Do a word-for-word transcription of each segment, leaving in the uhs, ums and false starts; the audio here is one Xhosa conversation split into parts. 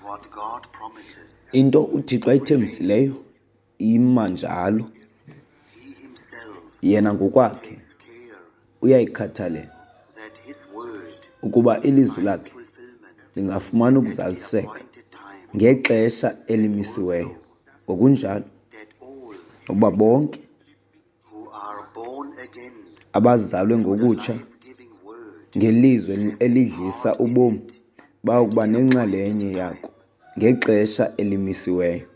What God promises Into uThixo ayithembisileyo ima njalo. He himself Yena ngokwakhe takes care uyayikhathalela that his word ukuba ilizwi lakhe fulfillment lingafumana at the ukuzaliseka appointed time, ngexesha elimisiweyo, ngokunjalo that all ukuba bonke who are born again abazalwe ngokutsha life-giving word ngelizwi elidlisa ubomi bayokuba nenxalenye yako ngexesha elimisiweyo.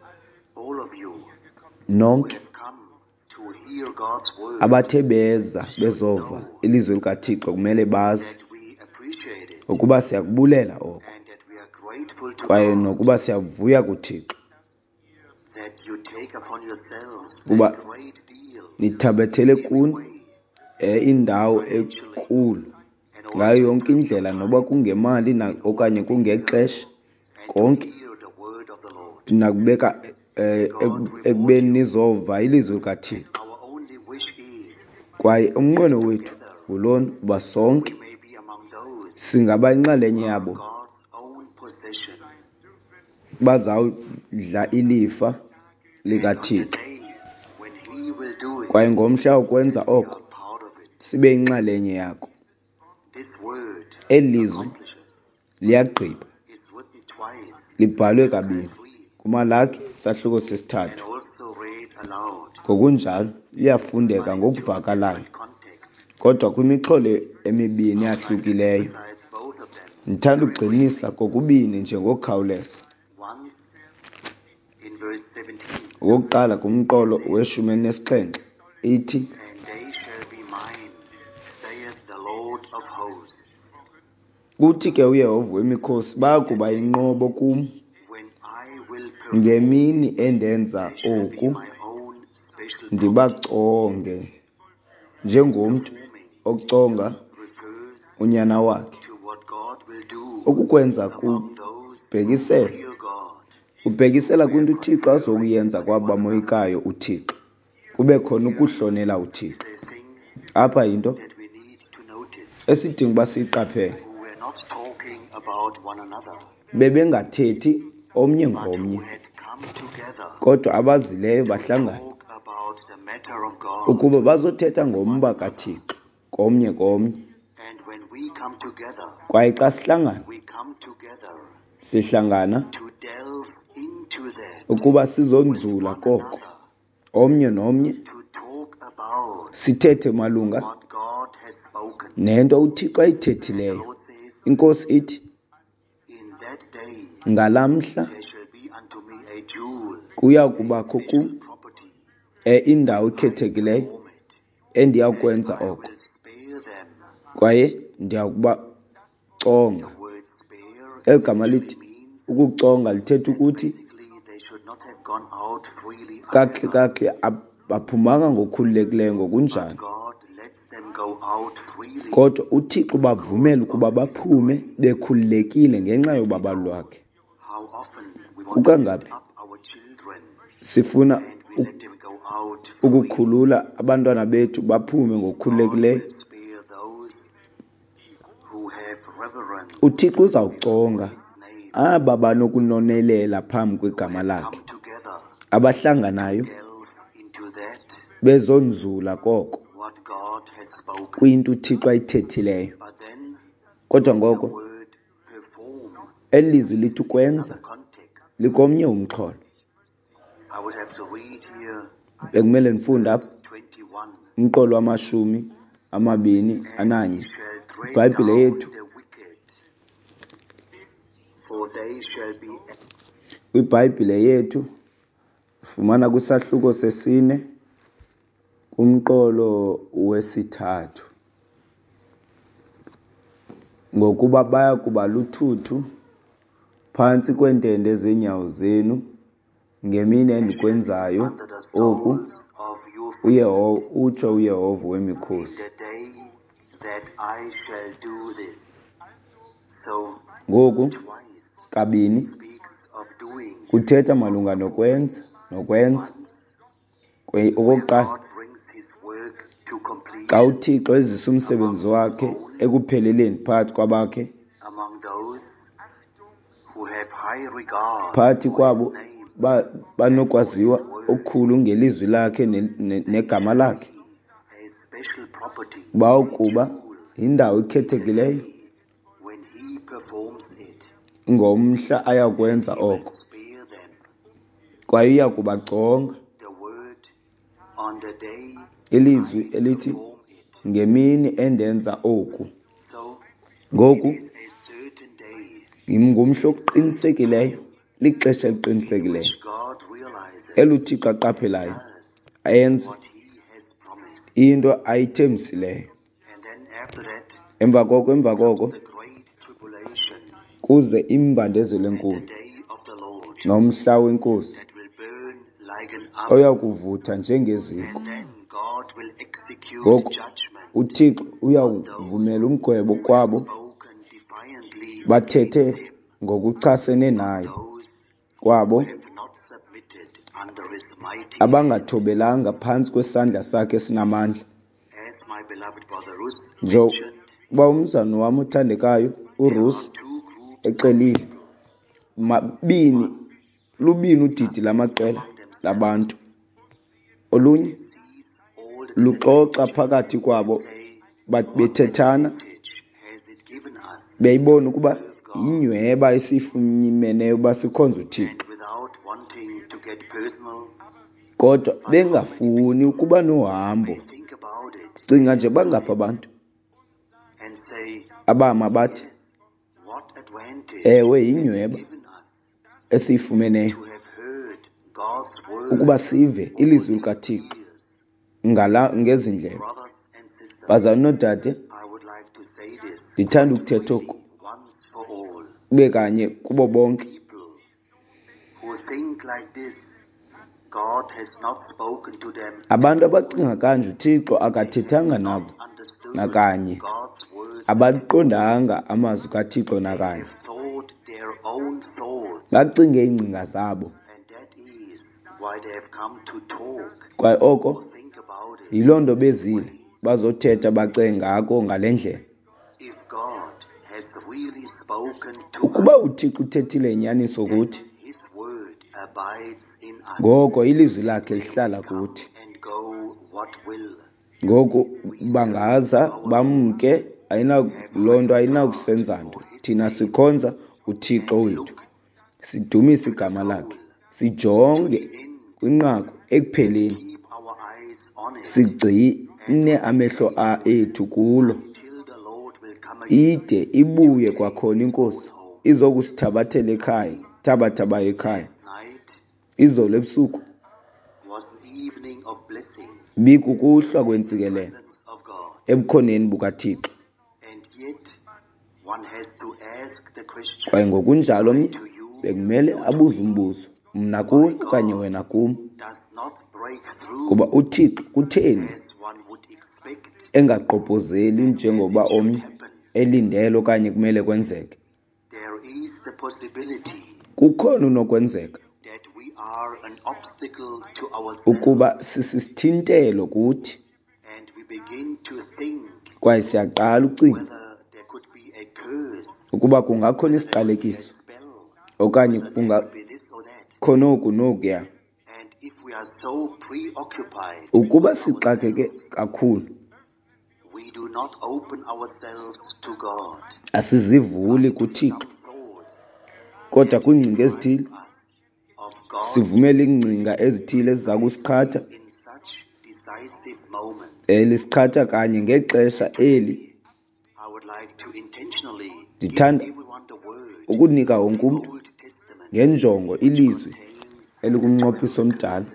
All of you Nonke have come to hear God's word, abathe beza bezova ilizwi likaThixo kumele bazi that we appreciate it ukuba siyakubulela oko and that we are grateful to kwaye God nokuba siyavuya kuThixo that you take upon yourselves Kuba a great deal nithabathele kuni way eh, indawo enkulu and also ngayo yonke indlela, noba kungemali na okanye kungexesha, and to konke hear the word of the Lord. Nakubeka eh, eku- ekubeni nizova ilizwi likaThixo. Our only wish is Kwaye umnqweno wethu ngulona uba sonke we may be among those singaba inxalenye yabo God's own possession. Bazawudla ilifa On the likaThixo. day when he will do it, Kwaye ngomhla wokwenza we oko are part of it. sibe yinxalenye yako. This word Eli lizwi accomplishes liyagqiba, is written twice libhalwe kabini kuMalaki sahluko sesithathu. and also read aloud Ngokunjalo liyafundeka ngokuvakalayo, context. Kodwa kwimixholo emibini eyahlukileyo. Emphasize both of them. Ndithanda ukugxininisa kokubini nje ngokukhawuleza. Once in verse seventeen, Okokuqala kumqolo weshumi elinesixhenxe ithi, and they shall be mine, saith the Lord of hosts, Kuthi ke uYehova wemikhosi, bayakuba yinqobo kum when I will perform, ngemini endenza they shall be oku, my own special property. Ndibaconge njengomntu Performing oconga refers unyana wakhe. to what God will do Okukwenza among those who kubhekisela fear God. kubhekisela kwinto uThixo azokuyenza kwabo bamoyikayo uThixo, kube khona ukuhlonela uThixo. Is a thing Apha yinto that we need to notice. esidinga uba siyiqaphele. Who were not talking about one another, Bebengathethi omnye but who ngomnye, had come together kodwa abazileyo to bahlangana talk about the matter of God. Ukuba bazothetha ngomba kaThixo komnye komnye. And when we come together, Kwaye xa sihlangana, we come together sihlangana to delve into that ukuba sizonzula one koko another, omnye nomnye, to talk about sithethe malunga what God has spoken. Nento uThixo The ayithethileyo. Lord says, Inkosi ithi, in that day ngalaa mhla there shall be unto me a jewel, kuya kubakho special kum property. eh, indawo ekhethekileyo Perform it. endiyakwenza I oko, will spare them. Kwaye ndiyakubaconga. The word spare Eli gama lithi actually means ukuconga lithetha ukuthi basically they should not have gone out freely kakuhle either. Kakuhle abaphumanga ngokukhululekileyo ngokunjalo. But God lets them go out freely. Kodwa uThixo ubavumela ukuba baphume bekhululekile ngenxa yobabalo lwakhe. How often we want to Kukangaphi lift up our children sifuna and we let them go out freely. Ukukhulula abantwana bethu baphume God ngokukhululekileyo. will spare those who have reverence UThixo uzawuconga his name, aba banokunonelela phambi kwegama who have lakhe, come together abahlanganayo delve into that bezonzula koko what God has spoken. Kwinto uThixo ayithethileyo. But then Kodwa the ngoko word perform eli lizwi lithi ukwenza another context. Likomnye umxholo. I would have to read here Bekumele ndifunde apha twenty-one. Umqolo wamashumi amabini And ananye. he shall tread IBhayibhile down yethu the wicked, for they shall be KwiBhayibhile yethu sifumana kwisahluko sesine kumqolo wesithathu. Ngokuba baya kuba luthuthu phantsi kweentende zeenyawo zenu ngemini endikwenzayo under the oku, soles of your feet uYehova utsho uYehova in wemikhosi. the day that I shall do this. So Ngoku twice kabini speaks of doing. Kuthetha malunga nokwenza nokwenza. Once Kwe- where Okokuqala, God brings his work to completion xa uThixo ezisa umsebenzi wakhe ekupheleleni phakathi kwabakhe, among those Phakathi kwabo banokwaziwa okukhulu ngelizwi lakhe negama lakhe, bawokuba yindawo ekhethekileyo ngomhla ayakwenza oko, kwaye uya kubaconga. Ilizwi elithi, ngemini endenza oku. Ngoku, ngumhla oqinisekileyo, lixesha eliqinisekileyo eluThixo aqaphelayo enze into ayithembisileyo. Emva koko, emva koko kuze imbandezelo enkulu nomhla weNkosi oya kuvutha njengeziko. Ngoku uThixo uyawuvumela umgwebo kwabo bathethe ngokuchasene naye, kwabo abangathobelanga phantsi kwesandla sakhe esinamandla. Njengoba umzalwane wam othandekayo uRusi exelile, mabini lubini udidi lamaqela labantu. Olunye luxoxa phakathi kwabo bethethana, beyibona ukuba yinyweba esiyifumeneyo uba sikhonze uThixo, kodwa bengafuni ukuba nohambo. Cinga nje bangaphi abantu abama bathi, ewe, yinyweba esiyifumeneyo ukuba sive ilizwi likaThixo ngala ngezi ndlebe. Bazalwane noodade, ndithanda ukuthetha oku kube kanye kubo bonke. Abantu abacinga kanje uThixo akathethanga nabo nakanye, abaqondanga amazwi kaThixo nakanye, bacinge iingcinga zabo. Kwaye oko yiloo nto bezile bazothetha bacinge ngako ngale ndlela. Ukuba uThixo uthethile inyaniso kuthi, ngoko ilizwi lakhe lihlala kuthi. Ngoku bangaza bamke, ayina loo nto ayinakusenza nto. Thina sikhonza uThixo wethu, sidumise igama lakhe, sijonge kwinqaku ekupheleni, sigcine amehlo ethu kulo ide ibuye kwakhona iNkosi izokusithabathela ekhaya, thabatha ekhaya. Izolo ebusuku bikukuhlwa kwentsikelelo ebukhoneni bukaThixo. Kwaye ngokunjalo omnye bekumele abuze umbuzo, mna kuwe okanye wena kum, kuba uThixo kutheni engagqobhozeli njengoba omnye elindele okanye kumele kwenzeke? Kukhona unokwenzeka ukuba sisisithintelo kuthi, kwaye siyaqala ucinga ukuba kungakhona isiqalekiso okanye kungakhona oku nokuya. Ukuba sixakeke kakhulu, asizivuli kuThixo, kodwa kwiingcinga ezithile sivumela iingcinga ezithile eziza kusiqhatha, elisiqhatha kanye ngexesha eli. Ndithanda ukunika wonke umntu ngenjongo ilizwi elikumnqophiso omdala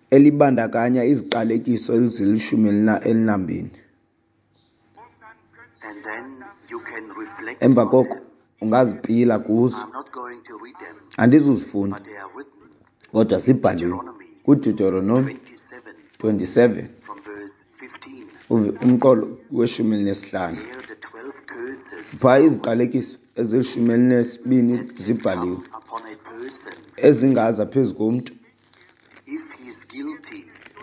elibandakanya iziqalekiso ezilishumi elinambini. Emva koko ungazipila kuzo. Andizuzifunda, kodwa zibhaliwe kuDeuteronomy twenty-seven umqolo weshumi elinesihlanu. Phaa iziqalekiso ezilishumi elinesibini zibhaliwe ezingaza phezu komntu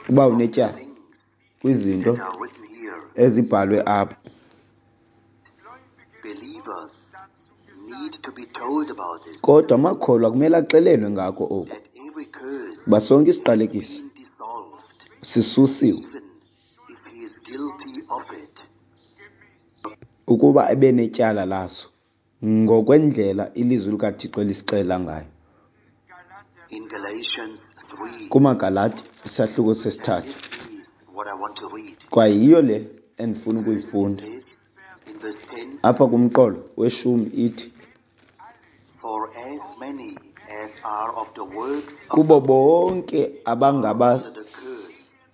uba unetyala kwizinto ezibhalwe apha. need to be told about this, Kodwa amakholwa kumele axelelwe ngako oku, that every curse uba sonke isiqalekiso been dissolved, sisusiwe, even if he is guilty of it. Ukuba ebenetyala laso ngokwendlela ilizwi likaThixo elisixelela ngayo. In Galatians three, KumaGalati isahluko sesithathu, this is what I want to read. Kwaye yiyo le endifuna ukuyifunda. It says in verse ten, Apha kumqolo weshumi ithi, For as many as are of the works of kubo bonke abangaba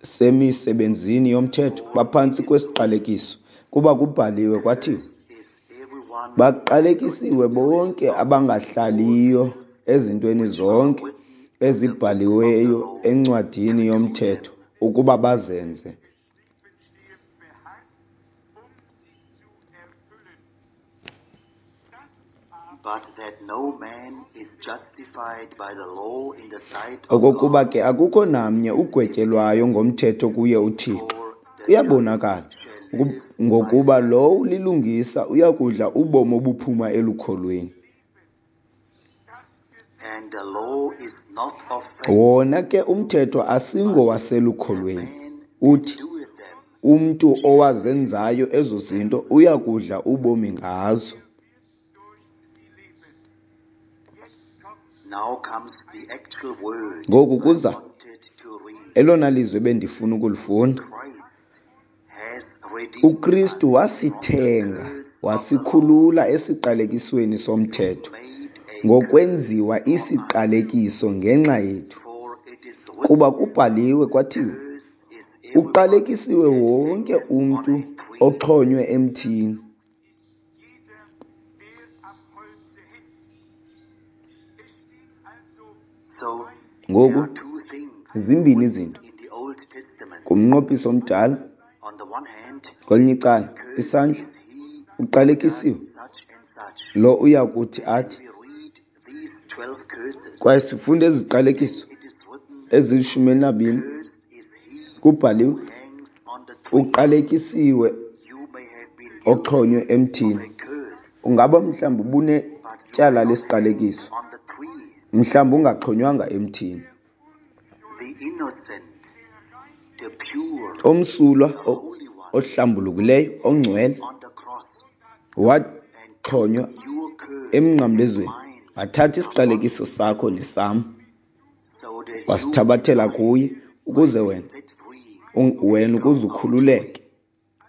semisebenzini yomthetho baphantsi kwesiqalekiso, kuba kubhaliwe kwathiwa, is everyone baqalekisiwe bonke abangahlaliyo ezintweni zonke ezibhaliweyo encwadini yomthetho ukuba bazenze. But that no man is justified by the law in the sight of Okokuba God, ke akukho namnye ugwetyelwayo ngomthetho kuye uThixo. for the Kuyabonakala just shall uku- live ngokuba lowo ulilungisa uyakudla ubomi obuphuma elukholweni. And the law is not of faith, Wona ke umthetho asingowaselukholweni. man Uthi doeth them. umntu owazenzayo ezo zinto uyakudla ubomi ngazo. Now comes the actual word Ngoku I kuza wanted to read. elona lizwi bendifuna ukulifunda. Christ has redeemed UKristu us wasithenga, from the curse of the law, wasikhulula esiqalekisweni somthetho, made a ngokwenziwa curse for us. isiqalekiso ngenxa yethu. For it is written, Kuba kubhaliwe kwathiwa, Cursed is everyone uqalekisiwe that wonke hangeth on umntu a tree. oxhonywe emthini. So there Ngoku are two things zimbini written izinto in the Old Testament. kumnqophiso omdala. On the one hand, Kwelinye icala, cursed isandla is he who uqalekisiwe does such and such. lo uya kuthi athi. We read these twelve curses. Kwaye sifunde eziqalekiso It is written, ezilishumi elinabini. Cursed is he Kubhaliwe, who hangs on the tree. uqalekisiwe You may have been guilty oxhonywe of emthini. a curse, Ungaba mhlawumbi but you ubunetyala cannot hang lesiqalekiso, on the tree. mhlawumbi ungaxhonywanga emthini. The innocent, the pure, Omsulwa the o- holy one ohlambulukileyo ongcwele on the cross waxhonywa and your curse emnqamlezweni, mine wathatha upon isiqalekiso sakho nesam, so that you wasithabathela kuye ukuze might be wena set free un- wena and ukuze come out free. ukhululeke,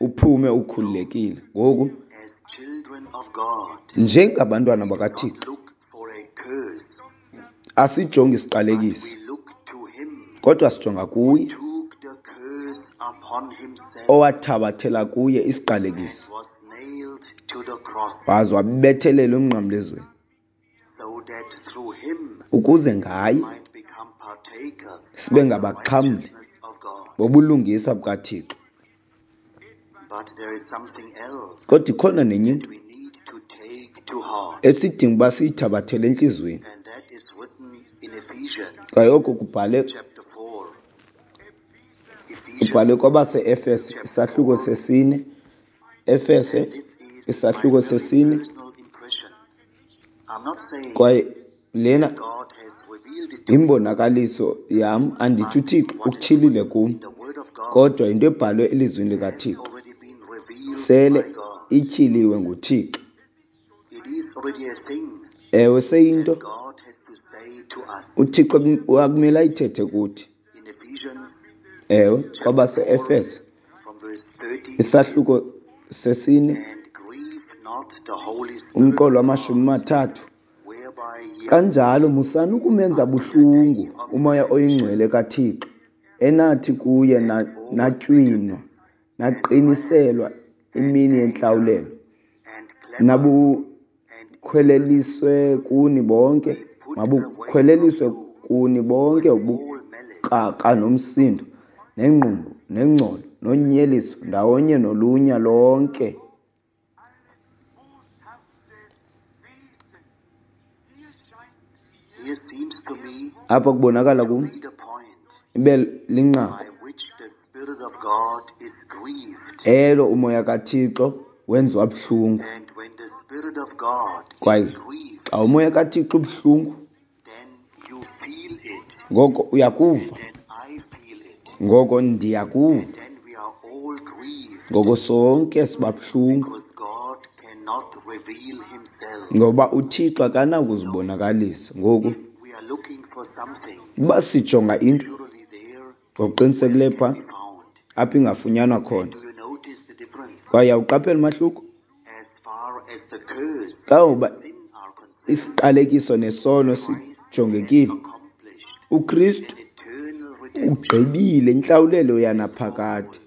uphume ukhululekile. Ngoku As children of God, njengabantwana we do not bakaThixo look for a curse, asijongi but isiqalekiso, we look to him kodwa sijonga who kuye took the curse upon himself owathabathela kuye and isiqalekiso, was nailed to the cross, waze wabethelelwa emnqamlezweni, so that through him ukuze we ngaye might become partakers sibe of the ngabaxhamli righteousness of God. bobulungisa bukaThixo. But there is something else Kodwa ikhona nenye that into we need to take to heart, esidinga uba siyithabathele entliziyweni. and that is written in Ephesians Kwaye oko kubhale chapter four. kubhale Ephesians kwabase-Efese chapter isahluko four, sesine. Efese and this is my isahluko very sesine. personal impression. I'm not saying Kwaye lena that God has revealed it to me, imbonakaliso yam, andithi but uThixo what is ukutyhilile written kum, in the Word of God kodwa yinto ebhalwe elizwini has likaThixo already been revealed sele by God. ityhiliwe nguThixo. It is already a thing Ewe, seyinto that God has to say to us. uThixo kum- akumele ayithethe kuthi. In Ephesians Ewe, chapter four, kwabase-Efese from verse thirty, it says, isahluko sesine And grieve not the Holy Spirit umqolo of God, wamashumi mathathu. whereby ye are Kanjalo musani ukumenza unto the day buhlungu of umoya redemption, oyingcwele kaThixo, enathi kuye and na- all natywinwa bitterness, and wrath, naqiniselwa and imini anger, yentlawulelo, and clamor, and evil nabukhweleliswe kuni bonke be put away from mabukhweleliswe you kuni bonke with all malice. ubukrakra nomsindo nengqumbo nengcolo nonyeliso ndawonye nolunya lonke. Here seems to me Apha kubonakala to kum be the point ibe linqaku by which the Spirit of God is grieved. elo umoya kaThixo wenziwa buhlungu. And when the Spirit Spirit of God is Kwaye grieved, xa umoya kaThixo ubuhlungu, then you feel it, ngoko uyakuva, then I feel it, ngoko ndiyakuva, then we are all grieved ngoko sonke siba buhlungu, because God cannot reveal himself. ngoba uThixo akanakuzibonakalisa. Ngoku We are looking for something uba sijonga into surely there ngokuqinisekileyo phaa be found. apho ingafunyanwa khona. Do you notice the difference? Kwaye awuqaphela umahluko As far as the curse kangoba and sin are concerned, isiqalekiso nesono sijongekile, accomplished uKristu an eternal redemption. ugqibile intlawulelo yanaphakade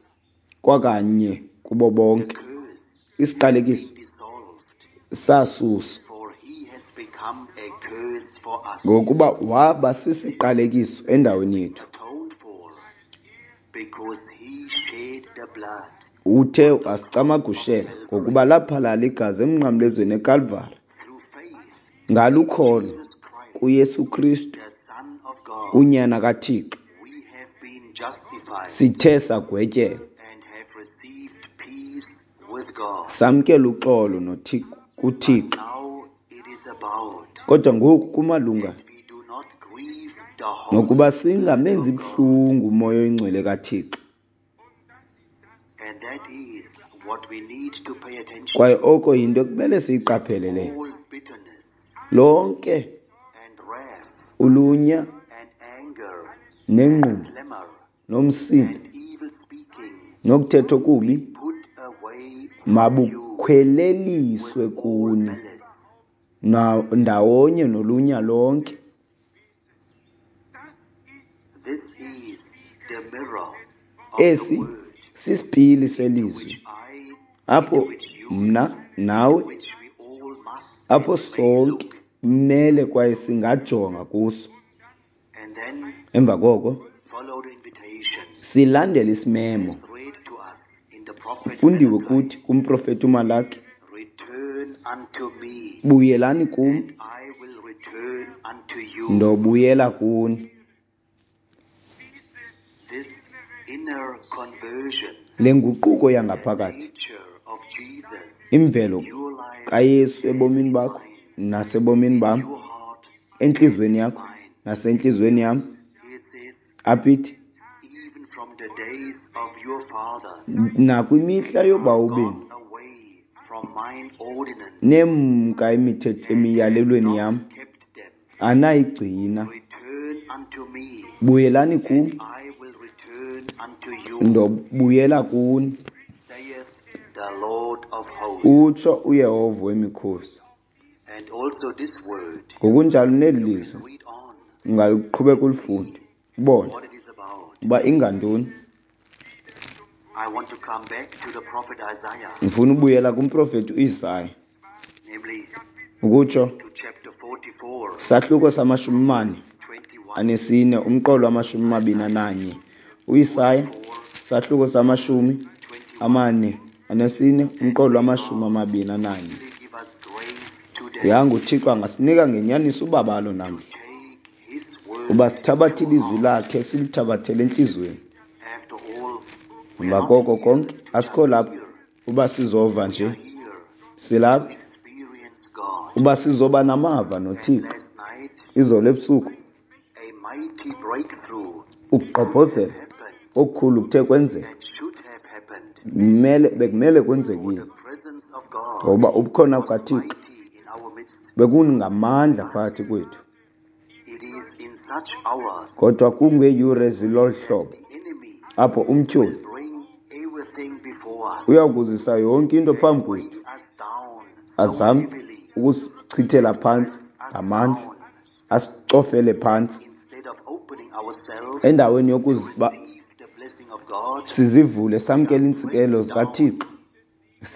kwakanye kubo bonke. Curse Isiqalekiso dissolved, sasuswa for he has become a curse for us, ngokuba waba sisiqalekiso endaweni yethu. atoned for, because he shed the blood Uthe wasicamagushela ngokuba laphalala igazi emnqamlezweni eKalvari. through faith. Ngalukholo Jesus Christ, kuYesu Kristu the Son of God, unyana kaThixo we have been justified sithe sagwetyelwa and have received peace with God. samkela uxolo noThixo kuThixo. Now it is about Kodwa ngoku kumalunga we do not grieve the Holy nokuba singamenzi buhlungu umoya oyingcwele kaThixo. And that is what we need to pay attention. Kwaye oko yinto ekumele siyiqaphele leyo. All bitterness Lonke and wrath ulunya and anger, nengqumbo clamor nomsindo and evil speaking nokuthetha okubi put away from you mabukhweleliswe with all kuni malice. na- ndawonye nolunya lonke. This is the mirror of the Esi word sisipili selizwi which I, apho which you, mna nawe which we all must apho and may sonke look. kumele kwaye singajonga kuso. And then Emva koko follow the invitation silandele isimemo as read to us in the prophet kufundiwe Malachi. kuthi kumprofeti uMalaki, Return unto me, buyelani kum and I will return unto you. ndobuyela kuni. This inner conversion, Le nguquko the yangaphakathi, nature of Jesus, imvelo your life kaYesu ebomini and bakho mine, nasebomini bam, your heart entliziyweni and yakho mine. nasentliziyweni yam, It says, apha ithi even from the days of your fathers, nakwimihla are yobawo benu gone away from mine ordinance nemka imithetho and have emiyalelweni not yam kept them. anayigcina. Return unto me, Buyelani kum and I will return unto you, ndobuyela kuni, saith the Lord of hosts. utsho uYehova wemikhosi. And also this word, Ngokunjalo neli you can lizwi read on ungaliqhubeka ulifunde ubone what it is about. uba ingantoni. I want to come back to the prophet Isaiah, Ndifuna ubuyela kumprofeti uIsaya, namely ukutsho to chapter forty-four, sahluko samashumi mane twenty-one, anesine umqolo wamashumi mabini ananye. UIsaya sahluko samashumi twenty-one. amane anesine umqolo wamashumi amabini ananye. Really give us grace today Yanga uThixo angasinika ngenyaniso ubabalo to namhla take his word uba sithabathe to ilizwi heart. lakhe silithabathele entliziyweni. After all, we are Emva not koko here konke to just asikho lapha hear. uba sizova We nje, are here silapha to experience God. uba sizoba namava And noThixo. last night, Izolo ebusuku a mighty breakthrough could have ukugqobhozela happened okukhulu kuthe kwenzeka, and should have happened. kumele bekumele For kwenzekile, the presence of God ngoba ubukhona was bukaThixo mighty in our midst. bekungamandla phakathi kwethu. It is in such hours Kodwa kungeeyure ezilolu hlobo the enemy apho umtyholi will bring everything before us uya kuzisa yonke into and phambi weigh kwethu, us down so azame heavily, ukusichithela phantsi press us ngamandla, down asicofele phantsi instead of opening ourselves endaweni to yokuziba receive the blessing of God. sizivule We samkele are iintsikelelo pressed down zikaThixo,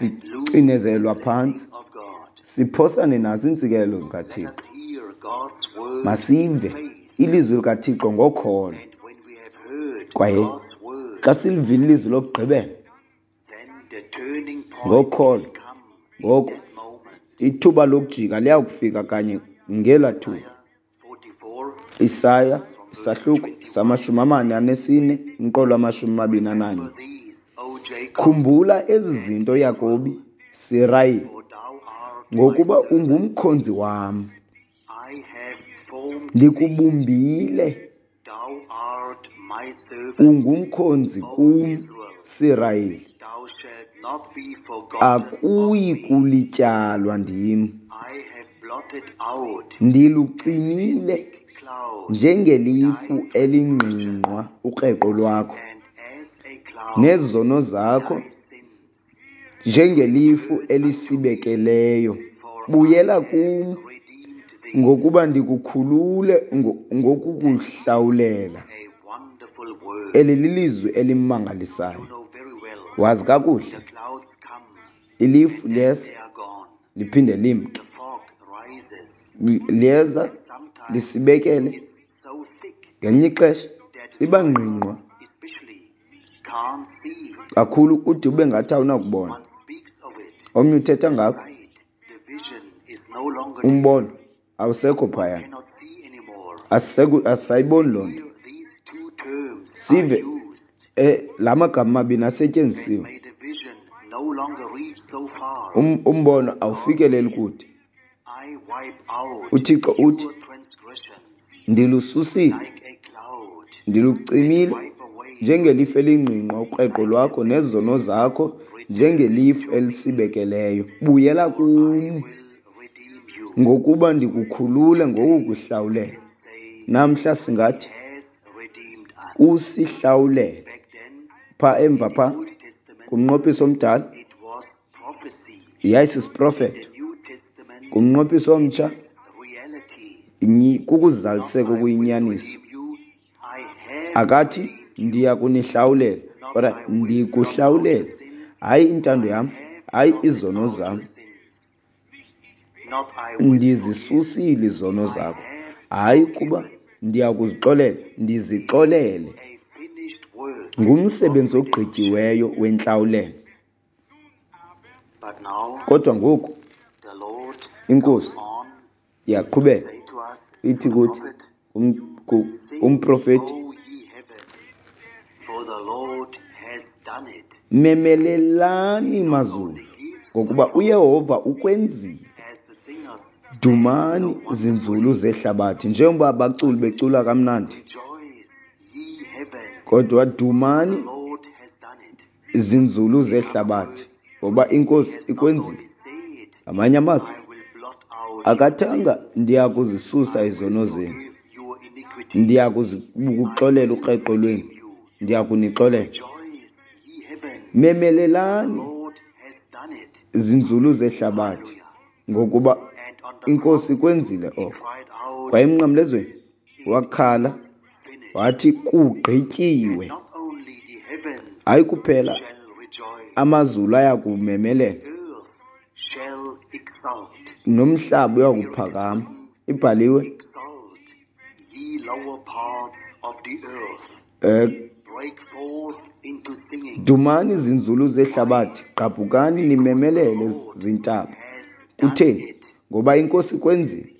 and lose the sicinezelwa blessing phantsi, of God. siphosane nazo iintsikelelo Let zikaThixo. us hear God's word in Masive faith. ilizwi likaThixo ngokholo, And when we have heard kwaye God's word, xa silivile ilizwi lokugqibela then the turning point ngokholo, will come in ngoku that moment. ithuba lokujika liyakufika kanye ngelaa thuba. Isaiah forty-four Isaya from verse isahluko twenty-one samashumi amane anesine umqolo wamashumi amabini ananye. Remember these, O Jacob, Khumbula ezi and zinto Israel, Yakobi, Sirayeli, for thou art Ngokuba ungumkhonzi wam, ndikubumbile, ungumkhonzi kum, Sirayeli, akuyi kulityalwa ndim. Ndilucimile njengelifu elingqingqwa ukreqo lwakho, nezono zakho njengelifu elisibekeleyo. Buyela kum, ngokuba ndikukhulule ngokukuhlawulela. Eli lilizwi elimangalisayo. Wazi kakuhle, ilifu liyeza liphinde limke, liyeza lisibekele, ngelinye ixesha liba ngqingqwa kakhulu ude ube ngathi awunakubona. Omnye uthetha ngakho, umbono awusekho phaya, asisayiboni loo nto. Sive la magama mabini asetyenzisiwe. Umbono awufikeleli kude. UThixo uthi, ndilususile, ndilucimile njengelifu elingqingqwa ukreqo lwakho nezono zakho njengelifu elisibekeleyo. Buyela kum, ngokuba ndikukhulule ngokukuhlawulela. Namhla singathi usihlawulele. Pha emva pha kumnqophiso omdala yayisisiprofeto, kumnqophiso omtsha kukuzaliseka okuyinyaniso. Akathi ndiya kunihlawulela, kodwa ndikuhlawulele, hayi intando yam, hayi izono zam, ndizisusile izono zakho, hayi kuba ndiya kuzixolela, ndizixolele. Ngumsebenzi ogqityiweyo wentlawulelo. Kodwa ngoku iNkosi iyaqhubeka ithi kuthi umprofeti, memelelani mazulu, ngokuba uYehova ukwenzile. Dumani zinzulu zehlabathi, njengoba abaculi becula kamnandi, kodwa dumani zinzulu zehlabathi, ngoba iNkosi ikwenzile. Ngamanye amazwi, akathanga ndiya kuzisusa izono zenu, ndiya kuxolela ukreqo lwenu, ndiya kunixolela. Memelelani zinzulu zehlabathi, ngokuba iNkosi ikwenzile oko. Kwaye emnqamlezweni wakhala wathi kugqityiwe. Hayi kuphela amazulu ayakumemelela, nomhlaba uyakuphakama. Ibhaliwe, dumani zinzulu zehlabathi, gqabhukani nimemelele zintaba. Kutheni? Ngoba iNkosi ikwenzile.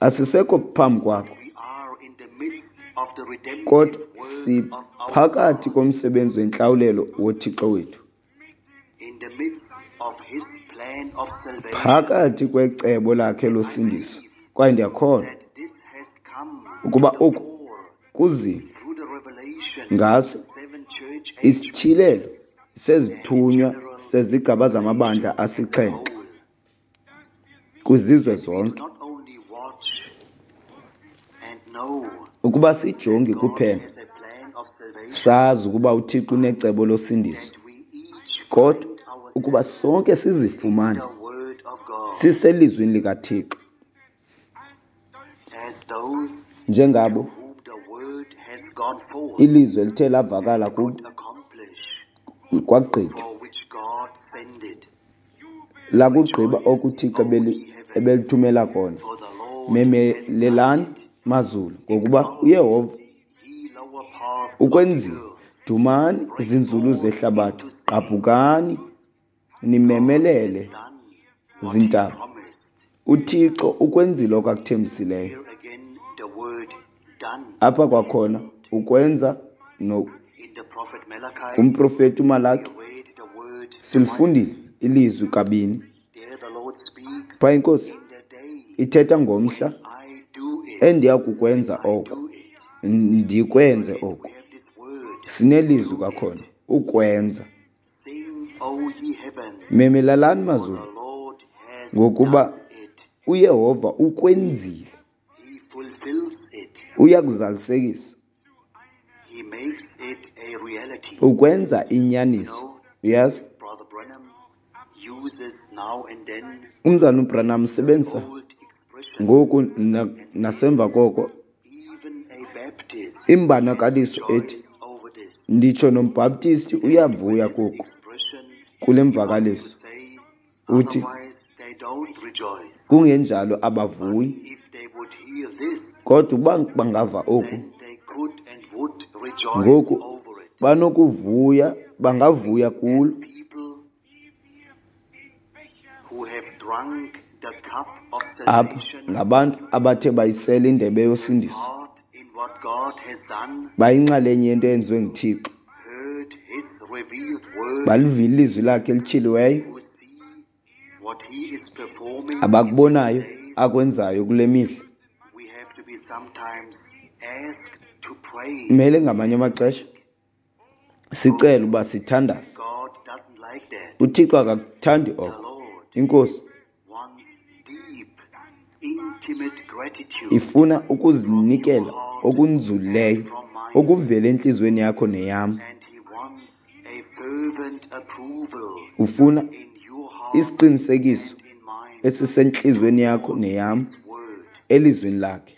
Asisekho phambi kwakho, kodwa siphakathi komsebenzi wentlawulelo woThixo wethu, phakathi kwecebo lakhe losindiso. Kwaye ndiyakholwa ukuba oku kuzile ngaso isityhilelo sezithunywa sezigaba zamabandla asixhenxe kwizizwe zonke, ukuba sijonge kuphela sazi ukuba uThixo unecebo losindiso, kodwa ukuba sonke sizifumane siselizwini likaThixo njengabo ilizwi elithe lavakala kubo kwagqitywa, lakugqiba okuThixo ebelithumela kona. Memelelani mazulu, ngokuba uYehova ukwenzile. Dumani zinzulu zehlabathi, gqabhukani nimemelele zintaba. UThixo ukwenzile okwakuthembisileyo. Apha kwakhona ukwenza no kumprofeti uMalaki silifundile ilizwi kabini. Phaa iNkosi ithetha ngomhla endiya kukwenza oko, ndikwenze oko. Sinelizwi kwakhona, ukwenza. Memelalani mazulu, ngokuba uYehova ukwenzile. Uyakuzalisekisa. Ukwenza inyaniso. Uyazi? Umzalwana uBranham usebenzisa ngoku nasemva koko imbonakaliso ethi, nditsho nombhaptisti uyavuya koku, kule mvakaliso. Uthi, kungenjalo abavuyi. Kodwa ukuba bangava oku, ngoku banokuvuya, bangavuya kulo. Apha ngabantu abathe bayisela indebe yosindiso, bayinxalenye yento eyenziwe nguThixo, balivile ilizwi lakhe elityhiliweyo, abakubonayo akwenzayo kule mihla. Kumele ngamanye amaxesha sicele uba sithandaze. UThixo akakuthandi oko. INkosi ifuna ukuzinikela okunzulileyo okuvela entliziyweni yakho neyam. Ufuna isiqinisekiso esisentliziyweni yakho neyam elizwini lakhe,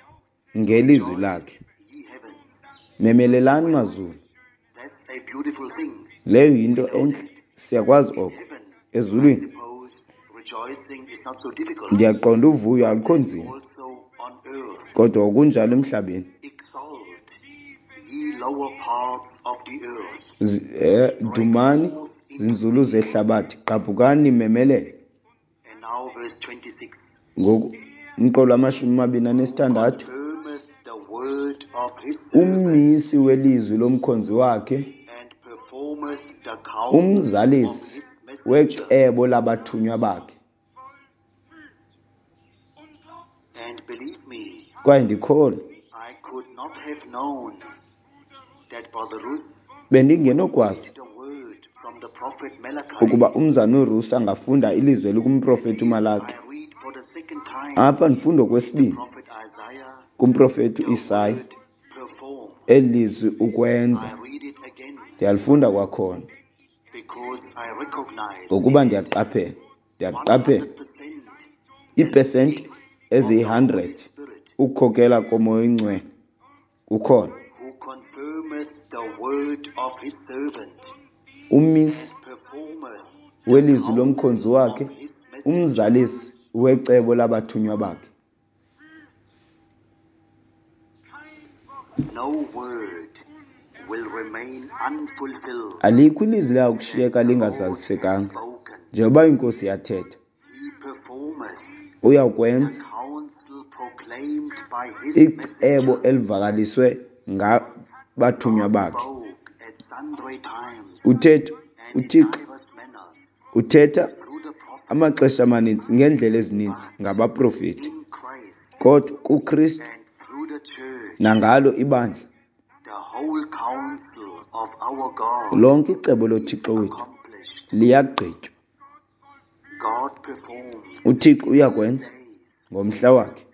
ngelizwi lakhe. Memelelani mazulu. Leyo yinto entle, siyakwazi oko. Ezulwini ndiyaqonda uvuyo alukho nzima, kodwa okunjalo emhlabeni. Dumani zinzulu zehlabathi, gqabhukani nimemelele. Ngoku umqolo wamashumi amabini anesithandathu. Ummisi welizwi lomkhonzi wakhe, umzalisi wecebo labathunywa bakhe. Kwaye ndikholwa, bendingenokwazi ukuba umzana uRusi angafunda ilizwi elikumprofeti uMalaki. Apha ndifunda okwesibini kumprofeti uIsaya, eli lizwi ukwenza. Ndiyalifunda kwakhona ngokuba ndiyaqaphela, ndiyaqaphela iipesenti eziyi-hundred ukukhokela koMoya oyiNgcwele kukhona. Umisi welizwi lomkhonzi wakhe, umzalisi wecebo labathunywa bakhe. Alikho ilizwi lakushiyeka lingazalisekanga, njengoba iNkosi yathetha. Uyakwenza icebo elivakaliswe ngabathunywa bakhe. Uthetha uThixo uthetha amaxesha amaninzi ngeendlela ezininzi ngabaprofeti, kodwa kuKristu nangalo ibandla lonke icebo loThixo wethu liyagqitywa. UThixo uyakwenza ngomhla wakhe,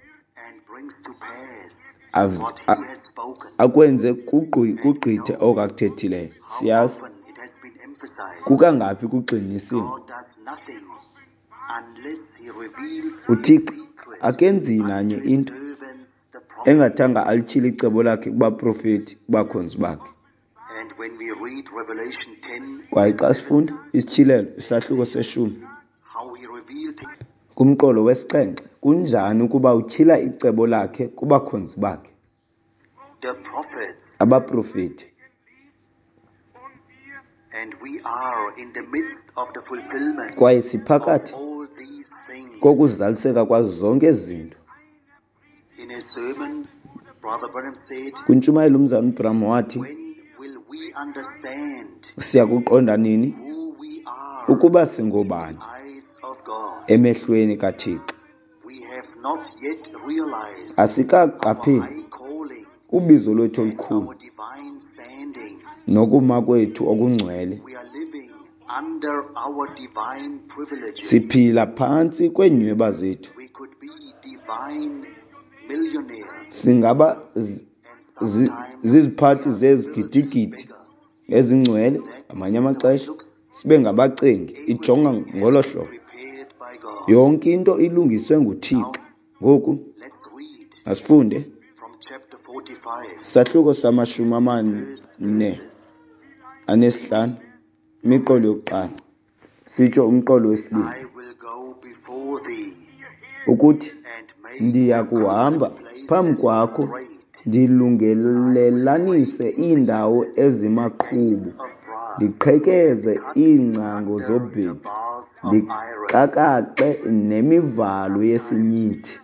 akwenze kugqithe oko akuthethileyo. Siyazi kukangaphi kugxininisiwe. UThixo akenzi nanye into engathanga alityhile icebo lakhe kubaprofeti, kubakhonzi bakhe. Kwaye xa sifunda isityhilelo isahluko seshumi kumqolo wesixhenxe, kunjani ukuba utyhila icebo lakhe kubakhonzi bakhe, abaprofeti. Kwaye siphakathi kokuzaliseka kwazo zonke ezi zinto. Kwintshumayelo umzalwana uBranham wathi, siyakuqonda nini ukuba singobani Emehlweni kaThixo. Asikaqapheli ubizo lwethu olukhulu nokuma kwethu okungcwele. Siphila phantsi kweenyweba zethu. Singaba ziziphathi zezigidigidi ezingcwele, ngamanye amaxesha sibe ngabacengi. Ijonga ngolo hlobo. Yonke into ilungiswe nguThixo. Ngoku masifunde isahluko samashumi amane anesihlanu, imiqolo yokuqala, sitsho umqolo wesibini, ukuthi ndiya kuhamba phambi kwakho ndilungelelanise iindawo ezimaqhubu, ndiqhekeze iingcango zobhedu, ndixakaxe nemivalo yesinyithi.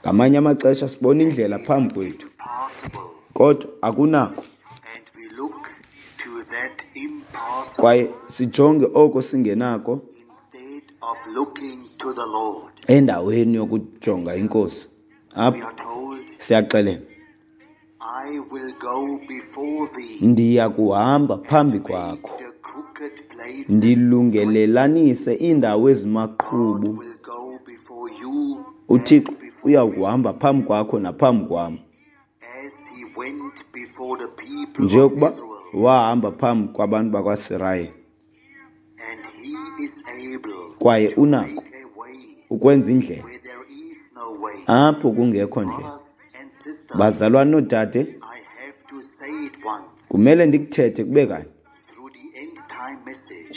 Ngamanye amaxesha sibona indlela phambi kwethu, kodwa akunako. Kwaye sijonge oko singenako endaweni yokujonga iNkosi. Apha siyaxelelwa, ndiya kuhamba phambi kwakho ndilungelelanise iindawo ezimaqhubu. UThixo uya kuhamba phambi kwakho naphambi kwam, njengokuba wahamba phambi kwabantu bakwaSirayeli. Kwaye unako ukwenza indlela apho kungekho ndlela. Bazalwane noodade, kumele ndikuthethe kube kanye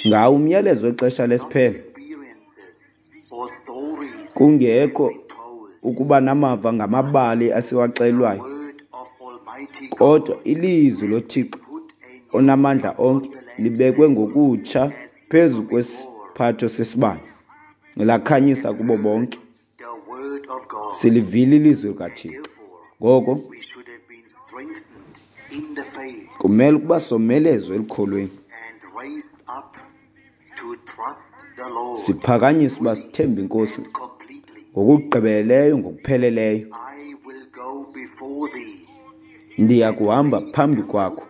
ngawo umyalezo wexesha lesiphelo, kungekho ukuba namava ngamabali asiwaxelelwayo, kodwa ilizwi loThixo onamandla onke libekwe ngokutsha phezu kwesiphatho sesibane, lakhanyisa kubo bonke. Silivile ilizwi likaThixo. Ngoko kumele ukuba somelezwe elukholweni, siphakanyiswe uba sithembe iNkosi ngokugqibeleleyo, ngokupheleleyo. Ndiya kuhamba phambi kwakho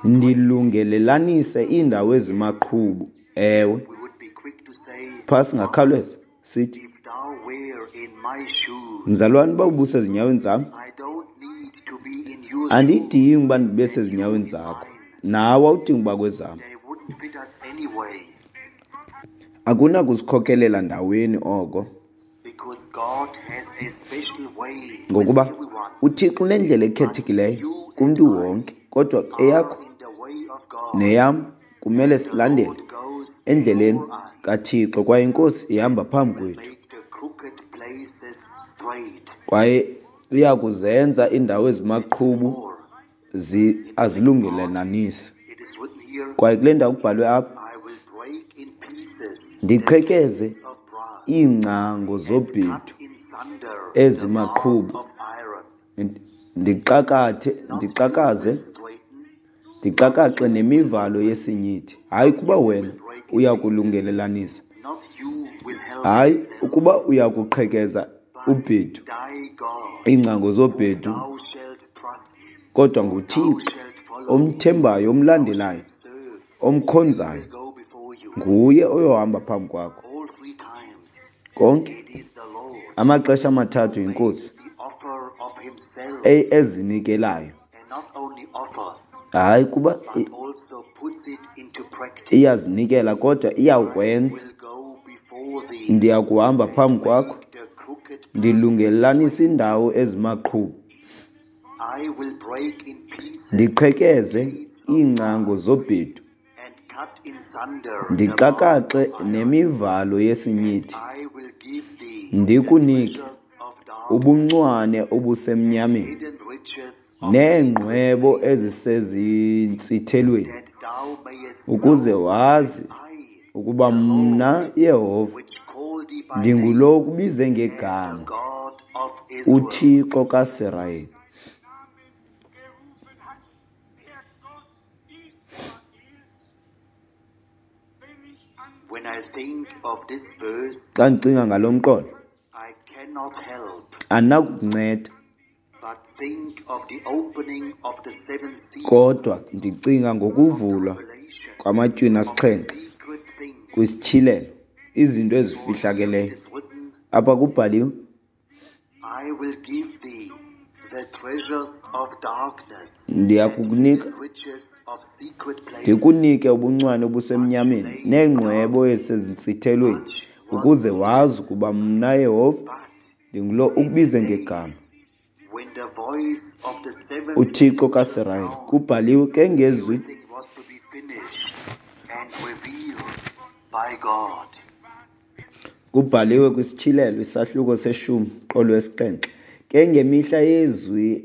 ndilungelelanise iindawo ezimaqhubu. Ewe, phaa singakhawuleza sithi, mzalwane, uba ubusezinyaweni zam, andidingi uba ndibe sezinyaweni zakho, nawe awudingi uba kwezam. Akunakusikhokelela ndaweni oko, ngokuba uThixo unendlela ekhethekileyo kumntu wonke, kodwa eyakho neyam kumele silandele endleleni kaThixo, kwaye iNkosi ihamba phambi kwethu, kwaye iya kuzenza iindawo ezimaqhubu azilungelelanise. Kwaye kule ndawo kubhalwe apha, ndiqhekeze iingcango zobhedu ezimaqhubu, ndixakathe ndixakaze ndixakaxe nemivalo yesinyithi. Hayi kuba wena uya kulungelelanisa, hayi ukuba uya kuqhekeza ubhedu, iingcango zobhedu, kodwa nguThixo omthembayo, omlandelayo, omkhonzayo, nguye oyohamba phambi kwakho. Konke amaxesha amathathu yiNkosi ezinikelayo. Hayi kuba iyazinikela, kodwa iyakwenza. Ndiya kuhamba phambi kwakho ndilungelelanise iindawo ezimaqhubu, ndiqhekeze iingcango zobhedu, ndixakaxe nemivalo yesinyithi, ndikunike ubuncwane obusemnyameni neengqwebo ezisezintsithelweni, ukuze wazi ukuba mna Yehova ndingulo ukubize ngegama, uThixo kaSirayeli. Xa ndicinga ngalo mqolo, andinakukunceda kodwa ndicinga ngokuvulwa kwamatywina asixhenxe kwisityhilelo, izinto ezifihlakeleyo. Apha kubhaliwe, ndiyakukunika ndikunike ubuncwane obusemnyameni neengqwebo ezisezintsithelweni, ukuze wazi ukuba mna Yehova ndingulo ukubize ngegama, uThixo kaSirayeli. Kubhaliwe ke ngezwi kubhaliwe kwisityhilelo isahluko seshumi qolo wesixhenxe, ke ngemihla yezwi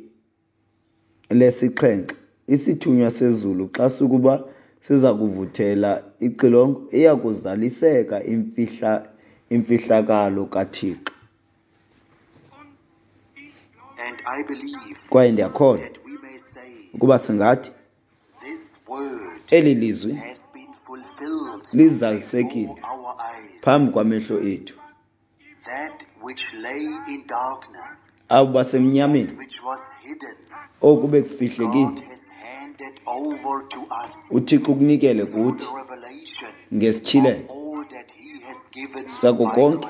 lesixhenxe isithunywa sezulu xa sukuba siza kuvuthela ixilongo, iya kuzaliseka imfihla imfihlakalo kaThixo. Kwaye ndiyakholwa ukuba singathi eli lizwi lizalisekile phambi kwamehlo ethu. Abo basemnyameni, oku bekufihlekile, uThixo ukunikele kuthi ngesityhilelo sako konke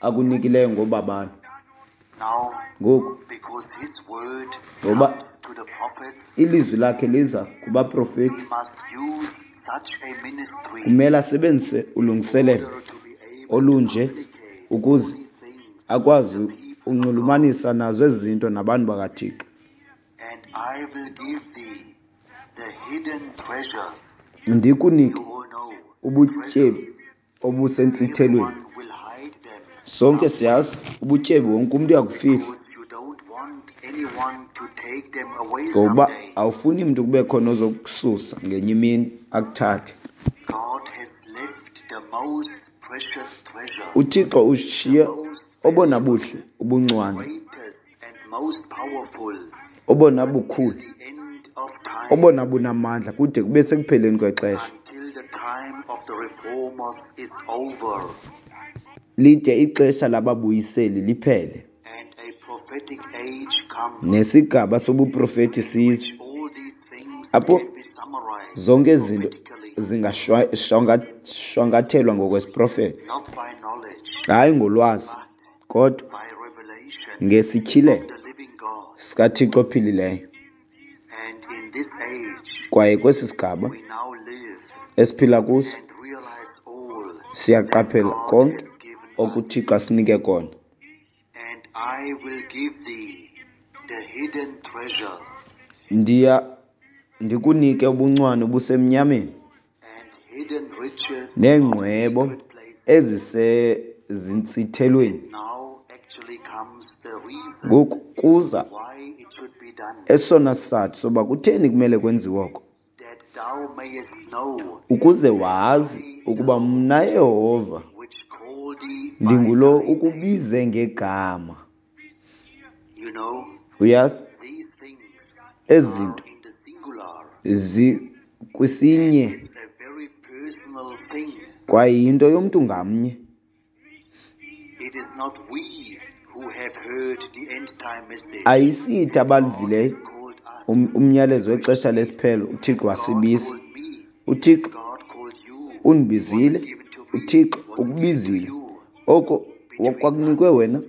akunikileyo ngobabalo. Ngoku, ngoba ilizwi lakhe liza kubaprofeti, kumele asebenzise ulungiselelo olunje ukuze akwazi unxulumanisa nazo ezi zinto nabantu bakaThixo. Ndikunike ubutyebi obusentsithelweni. Sonke siyazi ubutyebi wonke umntu uyakufihla, ngokuba awufuni mntu kube khona ozokususa ngenye imini akuthathe. UThixo ushiye obona buhle ubuncwane, obona bukhulu, obona bunamandla kude kube sekupheleni kwexesha, lide ixesha lababuyiseli liphele nesigaba sobuprofeti size, apho zonke ezi zinto zingashwankathelwa ngokwesiprofeto, hayi ngolwazi kodwa ngesityhilelo sikaThixo ophilileyo. Kwaye kwesi sigaba esiphila kuso siyaqaphela konke okuThixo asinike kona. Ndiya ndikunike ubuncwane obusemnyameni neengqwebo ezisezintsithelweni. Ngoku kuza esona sizathu soba kutheni kumele kwenziwe oko, ukuze wazi ukuba mna Yehova ndingulo ukubize ngegama. Uyazi, ezi zinto zikwisinye kwaye yinto yomntu ngamnye. Ayisithi abaluvileyo umyalezo wexesha lesiphelo, uThixo wasibiza. UThixo undibizile, uThixo ukubizile. Oko kwakunikwe wena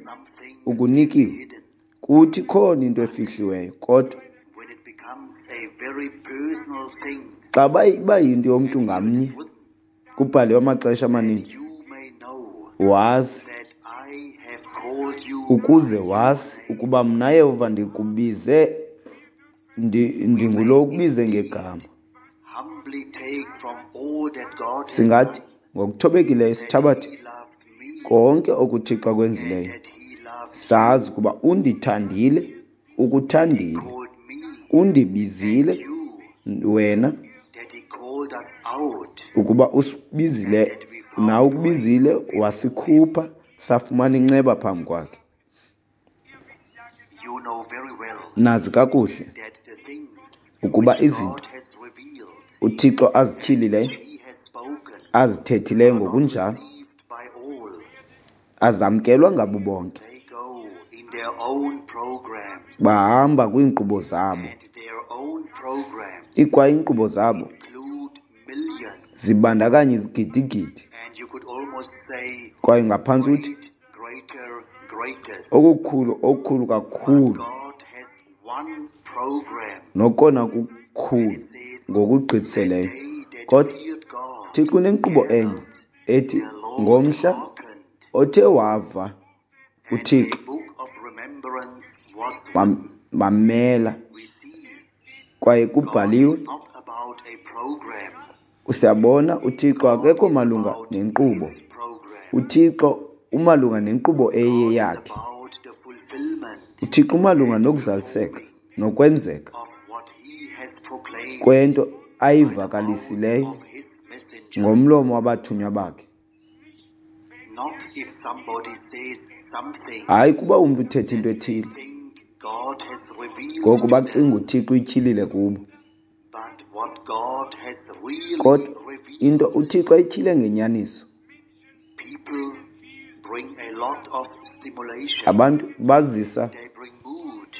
ukunikiwe. Kuthi khona into efihliweyo, kodwa xa iba yinto yomntu ngamnye, kubhaliwe amaxesha amaninzi, wazi ukuze wazi ukuba mna Yehova ndikubize, ndingulo ukubize ngegama. Singathi ngokuthobekileyo sithabathe konke okuThixo akwenzileyo, sazi ukuba undithandile, ukuthandile, undibizile wena, ukuba usibizile nawe ukubizile, wasikhupha safumana inceba phambi kwakhe. Nazi kakuhle ukuba izinto uThixo azityhilileyo, Azithethileyo are not ngokunjalo received by all. Azamkelwa ngabo bonke. They go in their own programs, Bahamba kwiinkqubo zabo. and their own programs Ikwa iinkqubo zabo include millions, zibandakanya izigidigidi, and you could almost say kwaye ngaphantsi uthi great, greater, greatest. okukhulu okukhulu But kakhulu God has one program. Nokona kukhulu It says, ngokugqithiseleyo. "They that Kodwa feared God Thixo unenkqubo enye ethi the Lord ngomhla hearkened, othe wava and a uThixo book of remembrance was bam- written." bamela We see kwaye God kubhaliwe. is not about a program. Usiyabona uThixo God akekho is malunga about nenkqubo. his program. UThixo umalunga nenkqubo God is eyeyakhe. about the fulfillment UThixo umalunga nokuzaliseka nokwenzeka of what he has proclaimed kwento by the mouth ayivakalisileyo of his messengers. ngomlomo wabathunywa bakhe. Not if somebody says something Hayi kuba umntu uthetha into ethile think God has revealed ngoku to them, bacinga uThixo uyityhilile kubo, but what God has really kodwa into revealed. uThixo ayityhile ngenyaniso. People bring a lot of stimulation. Abantu bazisa They bring mood.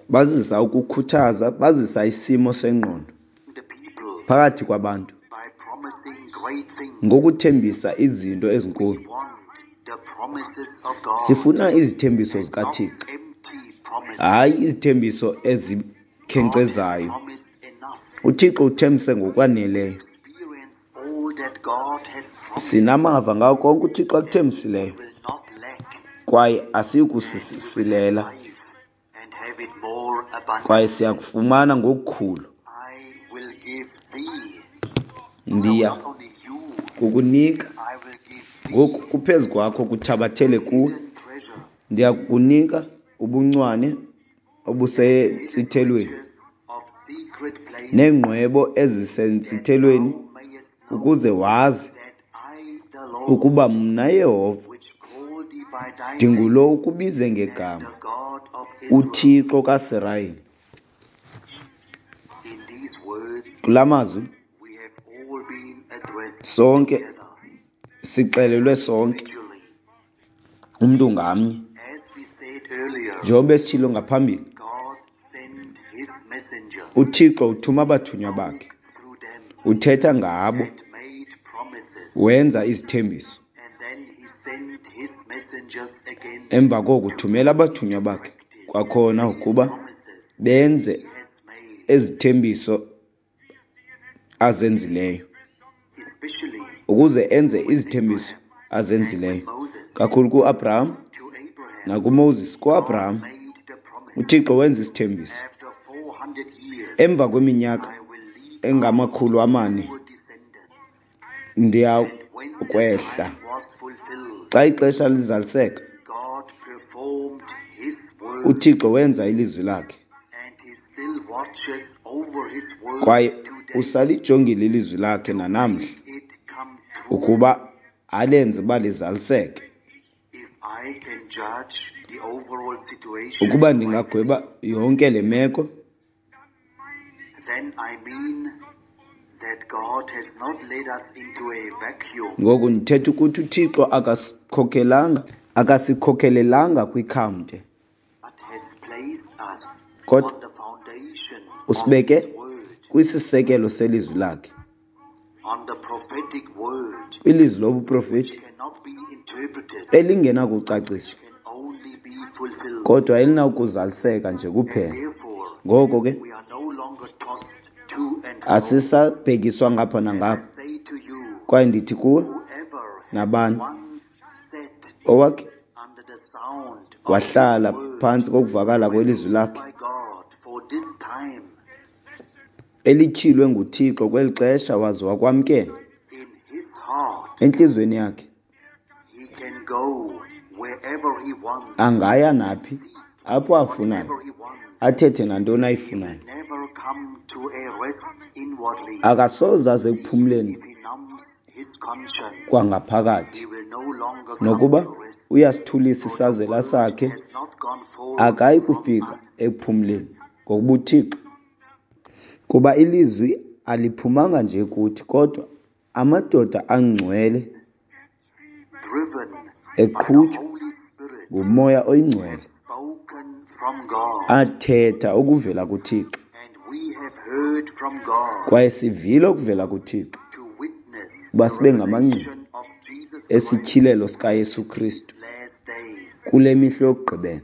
bazisa ukukhuthaza, bazisa isimo sengqondo The people phakathi kwabantu by promising great things. ngokuthembisa izinto ezinkulu. We want the promises of God, Sifuna izithembiso not zikaThixo, empty promises. hayi izithembiso God has ezikhenkcezayo. promised enough. UThixo uthembise ngokwaneleyo. Experience all that God has promised. Sinamava ngawo konke uThixo akuthembisileyo, We will not lack kwaye asiyi kusisilela, life and have it more abundantly. Kwaye siyakufumana ngokukhulu. I will give thee. Ndiya Not only you, kukunika I will give thee ngoku kuphezu kwakho kuthabathele kuwe. hidden treasure, Ndiya kukunika ubuncwane obusentsithelweni riches of secret places, neengqwebo ezisentsithelweni, thou mayest know ukuze wazi that I, the Lord, ukuba mna Yehova which called thee by thy name, ndingulo ukubize ngegama, the God of Israel. uThixo kaSirayeli. In these words, Kula mazwi we have all been addressed sonke together, sixelelwe sonke, individually. umntu ngamnye. As we said earlier, Njengoba besitshilo ngaphambili, God sent his messenger uThixo uthuma abathunywa bakhe, through them uthetha ngabo, and made promises. Wenza izithembiso. And then he sent his messengers again Emva koko uthumela abathunywa bakhe kwakhona ukuba promises benze he has made, ezithembiso azenzileyo, especially ukuze enze izithembiso azenzileyo, Moses kakhulu kuAbraham to Abraham. nakuMoses. KuAbraham Made the promise uThixo wenza isithembiso after four hundred years, emva kweminyaka I will lead engamakhulu amane your descendants. Ndiya When the kwehla. time was fulfilled, Xa ixesha lizaliseka, God performed his word uThixo wenza ilizwi lakhe, and he still watches over his word kwaye today. usalijongile ilizwi lakhe nanamhla It come true. ukuba alenze uba lizaliseke. If I can judge the overall situation, Ukuba ndingagweba yonke le meko, then I mean that God has not led us into a vacuum. Ngoku ndithetha ukuthi uThixo akasikhokelanga akasikhokelelanga kwikhamte, But has placed us kodwa on the foundation of usibeke His word, kwisisekelo selizwi lakhe, on the prophetic word, ilizwi lobuprofeti cannot be interpreted, elingenakucaciswa, can only be fulfilled. Kodwa elinakuzaliseka nje kuphela. Therefore, Ngoko ke we are no longer tossed to and fro. Asisabhekiswa ngapha nangapha. I say to you, Kwaye ndithi kuwe, whoever has nabani once sat owakhe under the sound of wahlala this word, phantsi kokuvakala kwelizwi lakhe by God for this time elityhilwe nguThixo kweli xesha waze wakwamkela in his heart, entliziyweni yakhe, he can go wherever he wants, angaya naphi apho afunayo, whatever he wants. Athethe nantoni ayifunayo. Never come to a rest inwardly. Akasoze aze ekuphumleni If he numbs his conscience, kwangaphakathi. He will no longer come Nokuba to rest. uyasithulisa isazela sakhe, Has not gone forth akayi from kufika us. ekuphumleni ngokuba uThixo, kuba ilizwi aliphumanga nje kuthi, kodwa Amadoda angcwele driven by the eqhutywa Holy Spirit, nguMoya oyiNgcwele spoken from God, athetha okuvela kuThixo, and we have heard from God kwaye sivile okuvela kuThixo to witness uba the sibe ngamangqina revelation of Jesus Christ esityhilelo sikaYesu Kristu last days. kule mihla yokugqibela.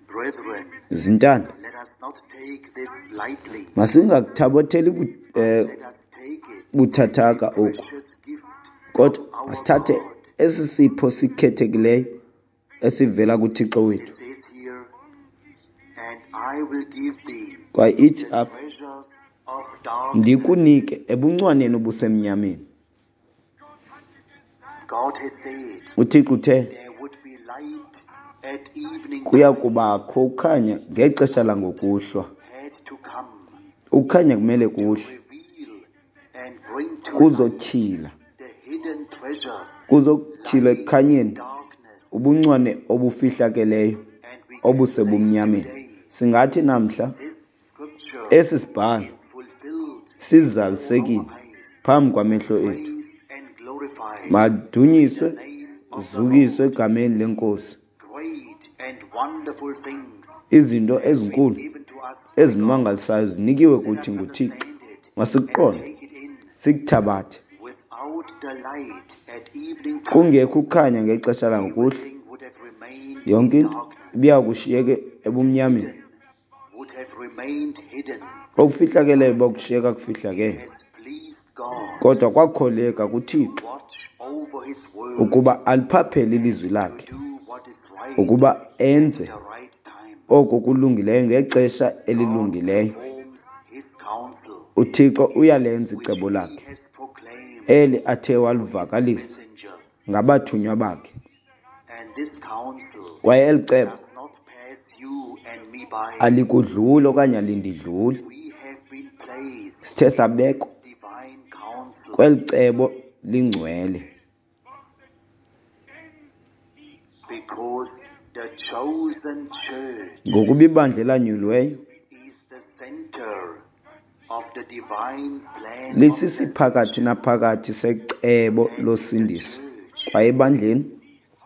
Brethren, Zintanda, let us not take this lightly. masingakuthabatheli bu- eh, Let us take it buthathaka oku, precious gift kodwa of our masithathe God. esi sipho sikhethekileyo esivela kuThixo It wethu. says here, and I will give thee Kwaye ithi the apha, treasures of darkness. ndikunike ebuncwaneni obusemnyameni. God has said UThixo uthe there would be light at evening kuya time kubakho ukukhanya ngexesha langokuhlwa. had to come Ukukhanya kumele to kuhle, reveal and bring to light kuzotyhila, the hidden treasures kuzotyhila lying in ekukhanyeni darkness. ubuncwane obufihlakeleyo And we can say obusebumnyameni. today, Singathi namhla this scripture esi sibhalo is fulfilled before sizalisekile our eyes. phambi kwamehlo ethu. Praised and glorified Madunyiswe, the name of the zukiswe Lord. egameni lenkosi. Great and wonderful things Izinto have been ezinkulu given to us by God. ezimangalisayo zinikiwe Let us kuthi nguThixo. understand it and Masikuqonde, take it in. sikuthabathe. Without the light at evening time, Kungekho ukukhanya ngexesha langokuhlwa, everything would have remained yonke in into darkness. ibiya kushiyeke ebumnyameni. Hidden would have remained hidden. Okufihlakeleyo bokushiyeka kufihlakele. Has pleased God Kodwa kwakholeka kuThixo to watch over his word ukuba aliphaphele ilizwi to lakhe, do what is right ukuba enze at the right time. oko kulungileyo ngexesha God elilungileyo. performs his counsel, UThixo uyalenza which icebo he lakhe has proclaimed eli athe to his walivakalisa messengers. ngabathunywa bakhe. And this counsel Kwaye eli cebo does not pass you and me by. alikudluli okanye alindidluli. We have been placed Sithe sabekwa in divine counsel. kweli cebo lingcwele Because the chosen church ngokuba ibandla elanyuliweyo is the center of the divine plan of lisisiphakathi salvation. naphakathi secebo And in the losindiso. church, Kwaye ebandleni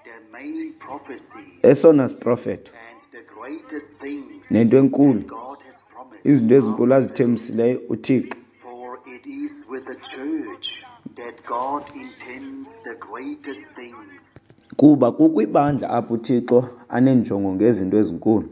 the main prophecy esona siprofeto and the greatest things nento enkulu, that God has promised izinto are ezinkulu fulfilled. azithembisileyo uThixo. For it is with the church that God intends the greatest things. Kuba kukwibandla apho uThixo aneenjongo ngezinto ezinkulu.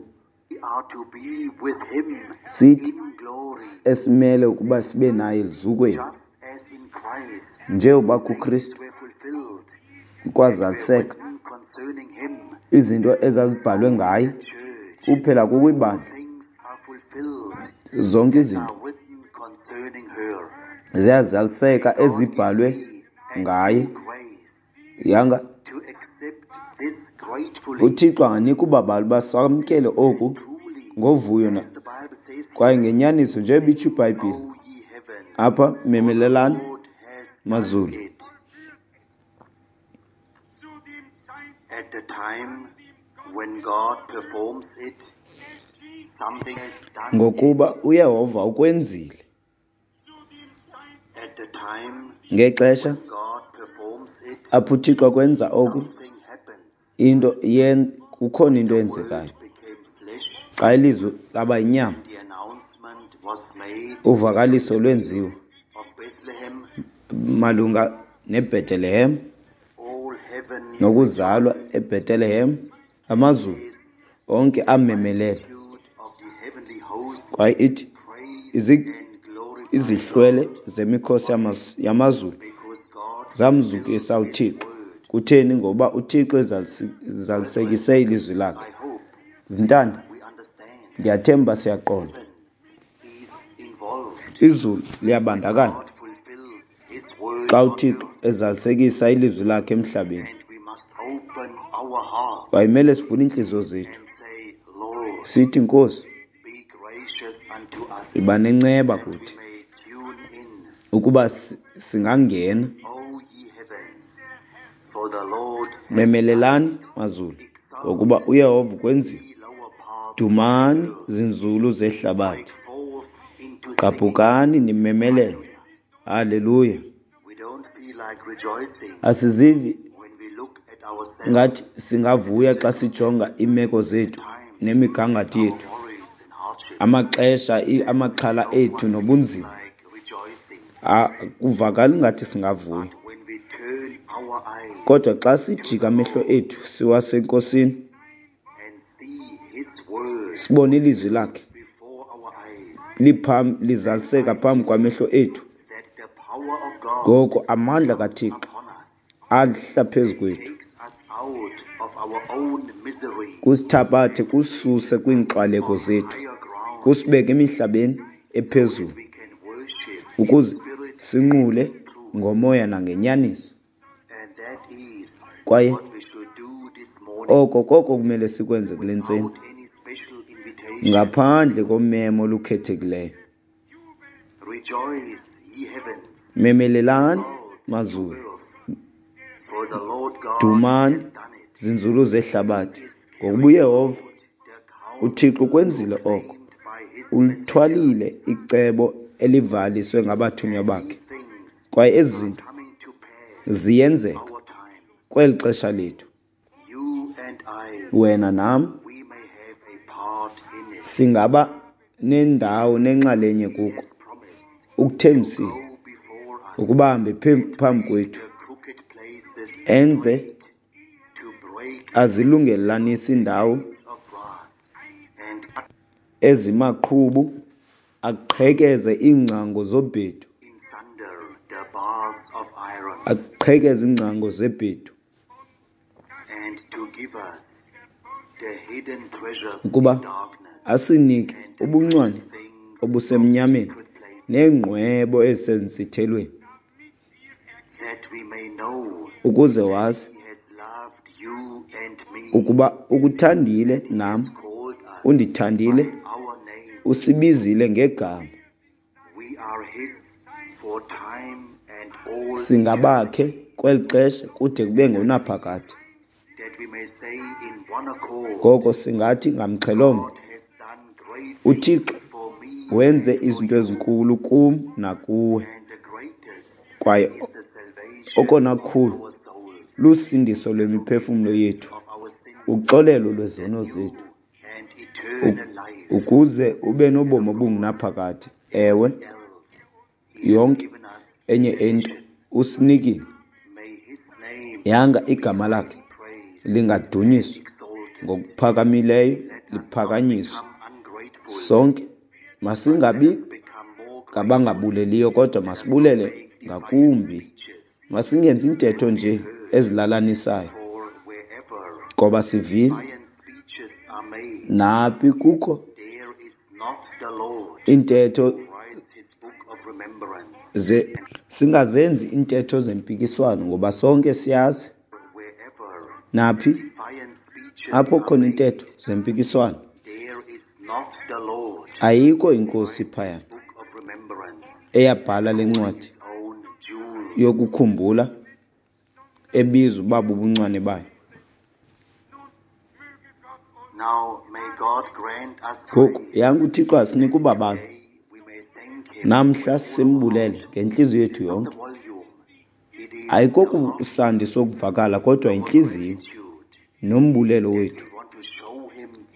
We are to be with him Sithi in glory, esimele ukuba sibe naye eluzukweni, just as in Christ njengoba things kuKristu were fulfilled that were kwazaliseka written concerning him. izinto ezazibhalwe So in ngaye, the church, kuphela all kukwibandla things are fulfilled zonke that izinto are written concerning her. ziyazaliseka May God give ezibhalwe me and ngaye. you grace Yanga to accept this gratefully uThixo anganika ubabalo uba samkele oku and truly, ngovuyo na as the Bible says kwaye here, ngenyaniso njengoba itsho iBhayibhile O ye heavens, apha, for the memelelani Lord has done mazulu. it. At the time when God performs it, something has done it. Ngokuba uYehova ukwenzile. At the time Ngexesha when God performs it, apho uThixo kwenza oku, something happens. into yen kukhona into The eyenzekayo. word became flesh, Xa ilizwi laba yinyama, and the announcement was made in uvakaliso the lwenziwa fields of Bethlehem. malunga neBhetelehem All heaven nokuzalwa rejoiced. eBhetelehem. Amazulu Yes, onke the amemelela. multitude of the heavenly host Kwaye ithi praised izi- and glorified izihlwele God. zemikhosi Why? yamas- yamazulu Because God fulfilled zamzukisa his uThixo. word. Kutheni? Ngoba uThixo ezalisi- Brethren, ezalisekise ilizwi lakhe. I hope Zintanda, we understand ndiyathemba siyaqonda. heaven is involved Izulu when liyabandakanya God fulfills his word xa on uThixo earth. ezalisekisa ilizwi lakhe emhlabeni. And we must open our hearts Kwaye kumele sivule iintliziyo zethu and say, Lord, sithi, Nkosi, be gracious unto us yiba nenceba that we kuthi may tune in. ukuba si- singangena. O ye heavens, for the Lord has done Memelelani it. mazulu, Exult, ngokuba uYehova ukwenzile. ye lower parts of the Dumani earth. zinzulu Break zehlabathi, forth into singing. gqabhukani nimemelele. Hallelujah. Haleluya. We Asizivi ngathi singavuya xa sijonga iimeko zethu nemigangatho yethu, amaxesha, amaxhala ethu nobunzima. Akuvakali ngathi singavuya. Kodwa xa sijika amehlo ethu siwaseNkosini, sibone ilizwi lakhe lizaliseka phambi kwamehlo ethu, ngoko amandla kaThixo ahla phezu kwethu, kusithabathe kususe kwiinkxwaleko zethu, kusibeke emihlabeni ephezulu, ukuze sinqule ngomoya nangenyaniso. Kwaye oko koko kumele sikwenze kule ntseni, ngaphandle komemo olukhethekileyo. Memelelani mazulu, dumani zinzulu zehlabathi, ngokuba uYehova uThixo ukwenzile oko, ulithwalile icebo elivaliswe ngabathunywa bakhe. Kwaye ezi zinto ziyenzeka kweli xesha lethu. Wena nam singaba nendawo nenxalenye kuko. Ukuthembisile ukuba ahambe phambi kwethu, enze azilungelelanise iindawo ezimaqhubu, aqhekeze iingcango zobhedu, aqhekeze iingcango zebhedu, ukuba asinike ubuncwane obusemnyameni neengqwebo ezisentsithelweni, ukuze wazi ukuba ukuthandile nam, undithandile, usibizile ngegama. Singabakhe kweli xesha kude kube ngonaphakade. Ngoko singathi ngamxhelomnye, uThixo wenze izinto ezinkulu kum nakuwe, kwaye okona kukhulu lusindiso lwemiphefumlo yethu, uxolelo lwezono zethu, ukuze ube nobomi obungunaphakade. Ewe, yonke enye into usinikile. Yanga igama lakhe lingadunyiswa ngokuphakamileyo, liphakanyiswe. Sonke masingabi ngabangabuleliyo, kodwa masibulele ngakumbi. Masingenzi intetho nje ezilalanisayo, ngoba sivile naphi kukho intetho ze singazenzi intetho zempikiswano, ngoba sonke siyazi naphi apho khona intetho zempikiswano ayikho inkosi phaya eyabhala le ncwadi yokukhumbula ebizwa uba bubuncwane bayo. Ngoku yanga uThixo asinika ubabalo namhla, simbulele ngentliziyo yethu yonke. Ayikokusandi sokuvakala, kodwa intliziyo nombulelo wethu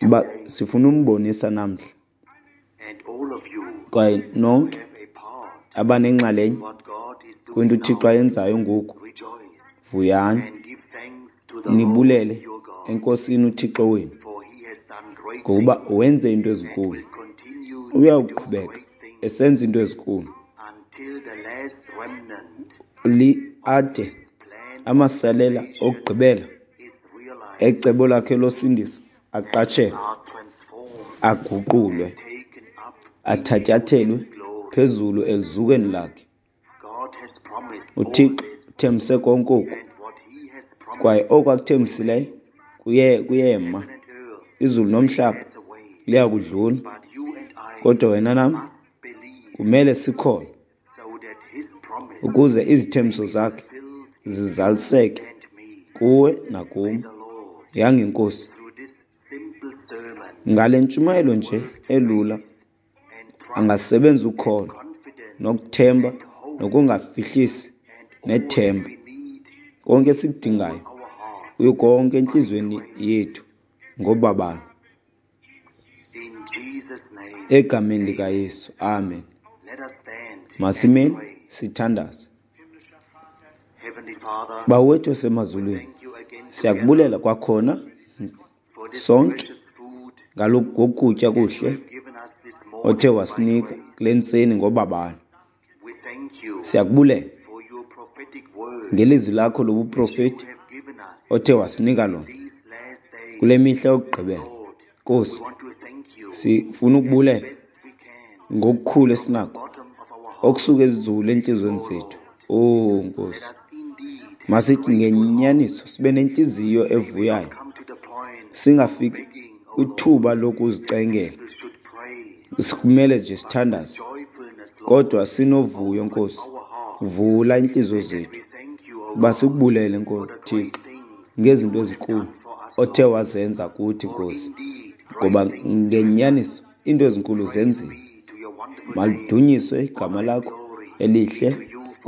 uba sifuna umbonisa namhla. Kwaye nonke abanenxalenye kwinto uThixo ayenzayo ngoku, vuyani nibulele eNkosini uThixo wenu, ngokuba wenze into ezinkulu, uyawuqhubeka esenza into ezinkulu ade amasalela okugqibela ecebo lakhe losindiso aqatshelwe, aguqulwe, athatyathelwe phezulu eluzukweni lakhe. UThixo uthembise konke oku, kwaye oku akuthembisileyo kuye kuyema. Izulu nomhlaba liya kudlula, kodwa wena nam kumele sikholwe ukuze izithembiso zakhe zizaliseke kuwe nakum. Yanga iNkosi ngale ntshumayelo nje elula angasebenza ukholo nokuthemba nokungafihlisi nethemba. Konke esikudingayo kuyo konke entliziyweni yethu ngobabalo. Egameni likaYesu, amen. Masimeni sithandaze. Bawo wethu osemazulwini, siyakubulela kwakhona sonke ngokutya kuhle othe wasinika kule ntseni ngobabalo. Siyakubulela ngelizwi lakho lobuprofeti othe wasinika lona kule mihla yokugqibela. Nkosi, sifuna ukubulela ngokukhulu esinako okusuka ezinzulu entliziyweni zethu. Oh Nkosi, masithi ngenyaniso sibe nentliziyo evuyayo, singafiki kwithuba lokuzicengela. Sikumele nje sithandaze, kodwa sinovuyo Nkosi. Vula iintliziyo zethu uba sikubulele Nkosi Thixo ngezinto ezinkulu othe wazenza kuthi Nkosi, ngoba ngenyaniso iinto ezinkulu zenziwe. Malidunyiswe igama lakho elihle,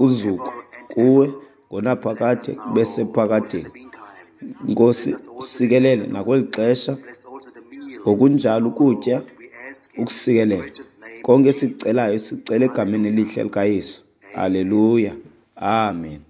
uzuko kuwe ngonaphakade kube sephakadeni. Nkosi, usikelele nakweli xesha, ngokunjalo ukutya ukusikelele. Konke esikucelayo sicela egameni elihle likaYesu. Haleluya, amen.